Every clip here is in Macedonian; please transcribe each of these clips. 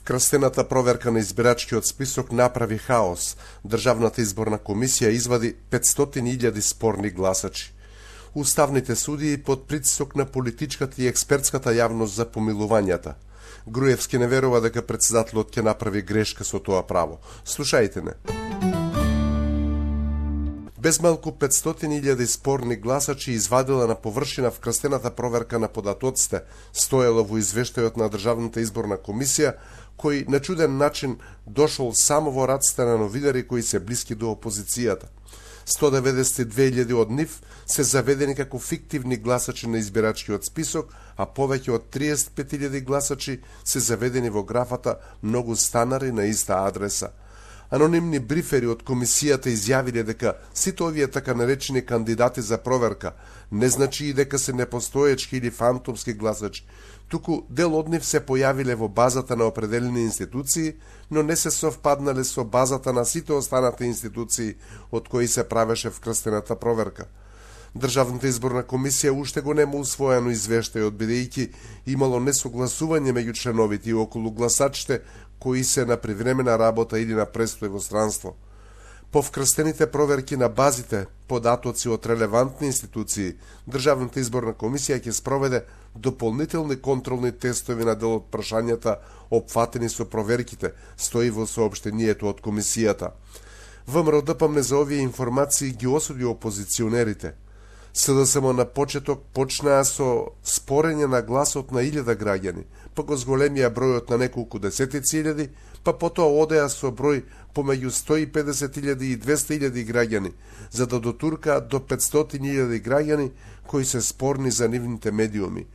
Крстената проверка на избирачкиот список направи хаос. Државната изборна комисија извади 500.000 спорни гласачи. Уставните судии под притисок на политичката и експертската јавност за помилувањата. Груевски не верува дека претседателот ќе направи грешка со тоа право. Слушајте не. Без малку 500.000 спорни гласачи извадила на површина в крстената проверка на податоците, стоела во извештајот на Државната изборна комисија, кој на чуден начин дошол само во раците на новинари кои се блиски до опозицијата. 192.000 од нив се заведени како фиктивни гласачи на избирачкиот список, а повеќе од 35.000 гласачи се заведени во графата многу станари на иста адреса. Анонимни брифери од комисијата изјавиле дека сите овие така наречени кандидати за проверка не значи и дека се непостоечки или фантомски гласачи, туку дел од нив се појавиле во базата на определени институции, но не се совпаднале со базата на сите останати институции од кои се правеше вкрстената проверка. Државната изборна комисија уште го нема усвоено извештајот, бидејќи имало несогласување меѓу членовите и околу гласачите кои се на привремена работа или на престој во странство. По вкрстените проверки на базите податоци од релевантни институции, Државната изборна комисија ќе спроведе дополнителни контролни тестови на дел од прашањата опфатени со проверките, стои во соопштението од комисијата. ВМРО-ДПМНЕ за овие информации ги осуди опозиционерите. СДСМ на почеток почнаа со спорење на гласот на 1000 граѓани, па го зголемија бројот на неколку десетици илјади, па потоа одеа со број помеѓу 150.000 и 200.000 граѓани, за да дотуркаат до 500.000 граѓани кои се спорни за нивните медиуми.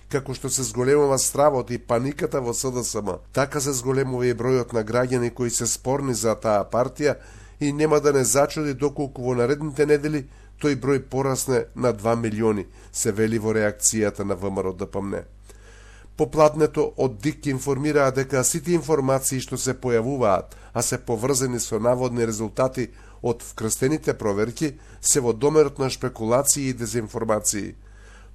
Како што се зголемува стравот и паниката во СДСМ, така се зголемува и бројот на граѓани кои се спорни за таа партија и нема да не зачуди доколку во наредните недели тој број порасне на 2 милиони, се вели во реакцијата на ВМРО-ДПМНЕ. Попладнето од ДИК информираа дека сите информации што се појавуваат, а се поврзани со наводни резултати од вкрстените проверки, се во домерот на шпекулации и дезинформации.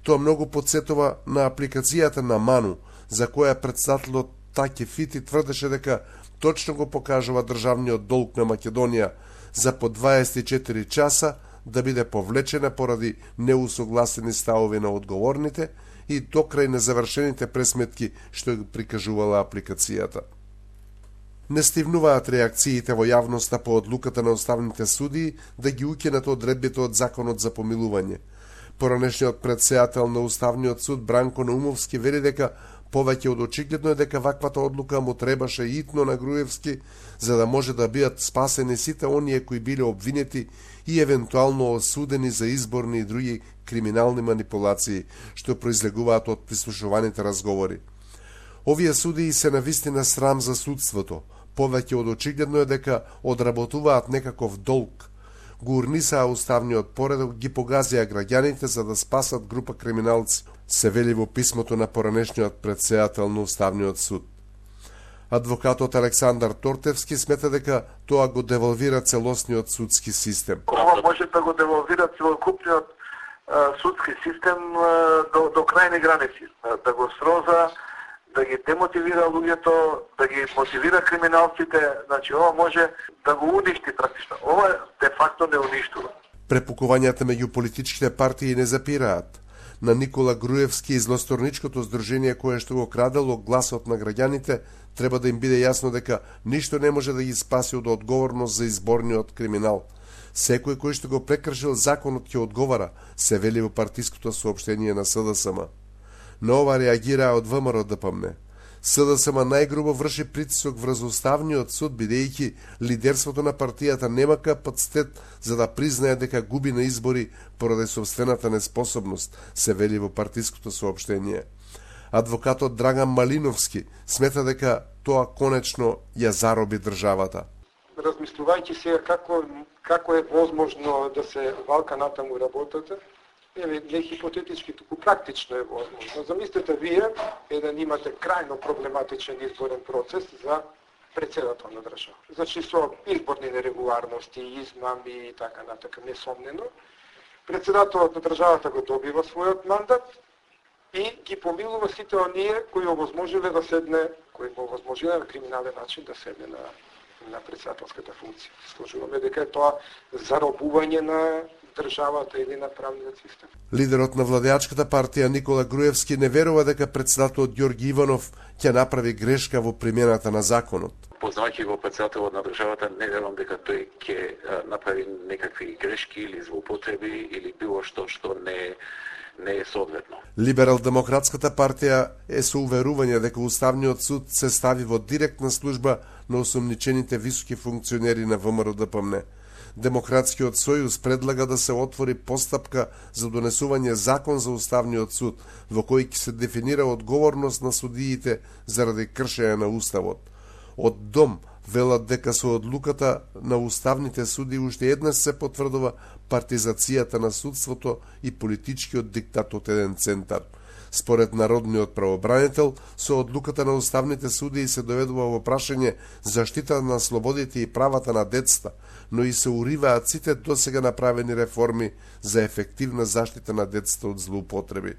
Тоа многу подсетува на апликацијата на Ману, за која претседателот Таки Фити тврдеше дека точно го покажува државниот долг на Македонија за по 24 часа да биде повлечена поради неусогласени ставови на одговорните и докрај незавршените пресметки што ги прикажувала апликацијата. Не стивнуваат реакциите во јавноста по одлуката на уставните судии да ги укинат одредбите од законот за помилување. Поранешниот претседател на Уставниот суд Бранко Наумовски вели дека повеќе од очигледно е дека ваквата одлука му требаше итно на Груевски, за да може да бидат спасени сите оние кои биле обвинети и евентуално осудени за изборни и други криминални манипулации, што произлегуваат од прислушуваните разговори. Овие судии се навистина срам за судството. Повеќе од очигледно е дека одработуваат некаков долг. Го урнисаа уставниот поредок, ги погазија граѓаните за да спасат група криминалци, се вели во писмото на поранешниот претседател на Уставниот суд. Адвокатот Александар Тортевски смета дека тоа го девалвира целосниот судски систем. Ова може да го девалвира целокупниот судски систем до крајни граници, да го сроза, да ги демотивира луѓето, да ги мотивира криминалците, значи ова може да го уништи практично. Ова де факто не уништува. Препукувањата меѓу политичките партии не запираат. На Никола Груевски и злосторничкото здружение кое што го крадело гласот на граѓаните, треба да им биде јасно дека ништо не може да ги спаси од одговорност за изборниот криминал. Секој кој што го прекршил законот ќе одговара, се вели во партиското соопштение на СДСМ. На ова реагираа од ВМРО-ДПМНЕ. СДСМ најгрубо врши притисок врз Уставниот суд, бидејќи лидерството на партијата нема капацитет за да признае дека губи на избори поради собствената неспособност, се вели во партиското соопштение. Адвокатот Драган Малиновски смета дека тоа конечно ја зароби државата. Размислувајќи се како е возможно да се валка натаму работата, не хипотетички, туку практично е возможно. Замислете вие да имате крајно проблематичен изборен процес за претседател на држава. Значи со изборни нерегуларности, измами и така натака, несомнено. Претседателот на државата го добива својот мандат и ги помилува сите оние кои овозможиле да седне, кои го овозможиле на криминален начин да седне на председателската функција. Сложуваме дека е тоа заробување на државата или на правниот систем. Лидерот на владеачката партија Никола Груевски не верува дека председателот Ѓорги Иванов ќе направи грешка во примената на законот. Познавајќи го председателот на државата, не верувам дека тој ќе направи некакви грешки или злоупотреби или било што не е соодветно. Либерал-демократската партија е со уверување дека Уставниот суд се стави во директна служба на осомничените високи функционери на ВМРО-ДПМН. Демократскиот сојуз предлага да се отвори постапка за донесување закон за Уставниот суд, во кој ќе се дефинира одговорност на судиите заради кршење на Уставот. Од Дом велат дека со одлуката на уставните суди уште еднаш се потврдува партизацијата на судството и политичкиот диктат од еден центар. Според народниот правобранител, со одлуката на уставните судии се доведува во прашање заштита на слободите и правата на децата, но и се уриваат сите досега направени реформи за ефективна заштита на децата од злоупотреби.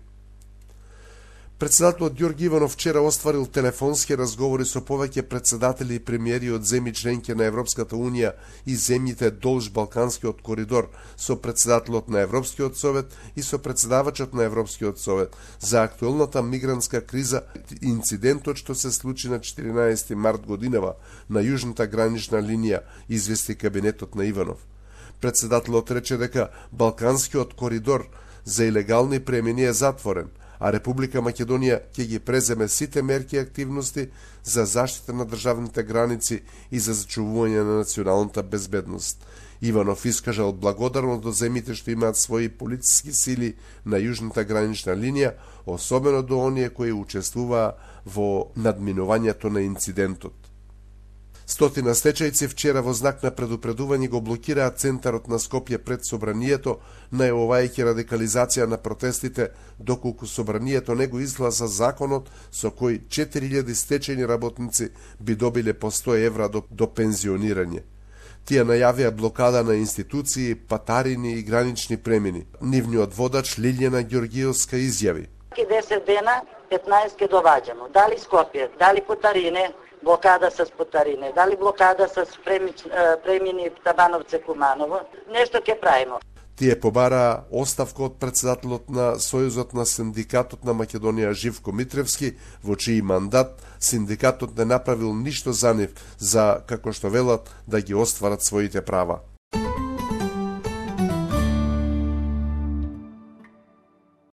Председателот Ѓорги Иванов вчера остварил телефонски разговори со повеќе председатели и премиери од земји членки на Европската Унија и земјите долж Балканскиот коридор, со председателот на Европскиот совет и со председавачот на Европскиот совет за актуелната мигрантска криза, инцидентот што се случи на 14 март годинава на јужната гранична линија, извести кабинетот на Иванов. Председателот рече дека Балканскиот коридор за илегални премини е затворен, а Република Македонија ќе ги преземе сите мерки и активности за заштита на државните граници и за зачувување на националната безбедност. Иванов искажал благодарност до земјите што имаат своји полициски сили на јужната гранична линија, особено до оние кои учествуваа во надминувањето на инцидентот. Стотина стечајци вчера во знак на предупредување го блокираа центарот на Скопје пред собранието, најавувајќи радикализација на протестите, доколку собранието не го изгласа законот со кој 4000 стечајни работници би добиле по 100 евра до пензионирање. Тие најавија блокада на институции, патарини и гранични премини. Нивниот водач Лилјана Ѓоргиевска изјави: 10 дена, 15 ке доваѓамо. Дали Скопје, дали Потарине, блокада с Потарине, дали блокада с премини Табановце Куманово, нешто ќе правимо. Тие побараа оставка од председателот на Сојузот на синдикатот на Македонија Живко Митревски, во чиј мандат синдикатот не направил ништо за нив за, како што велат, да ги остварат своите права.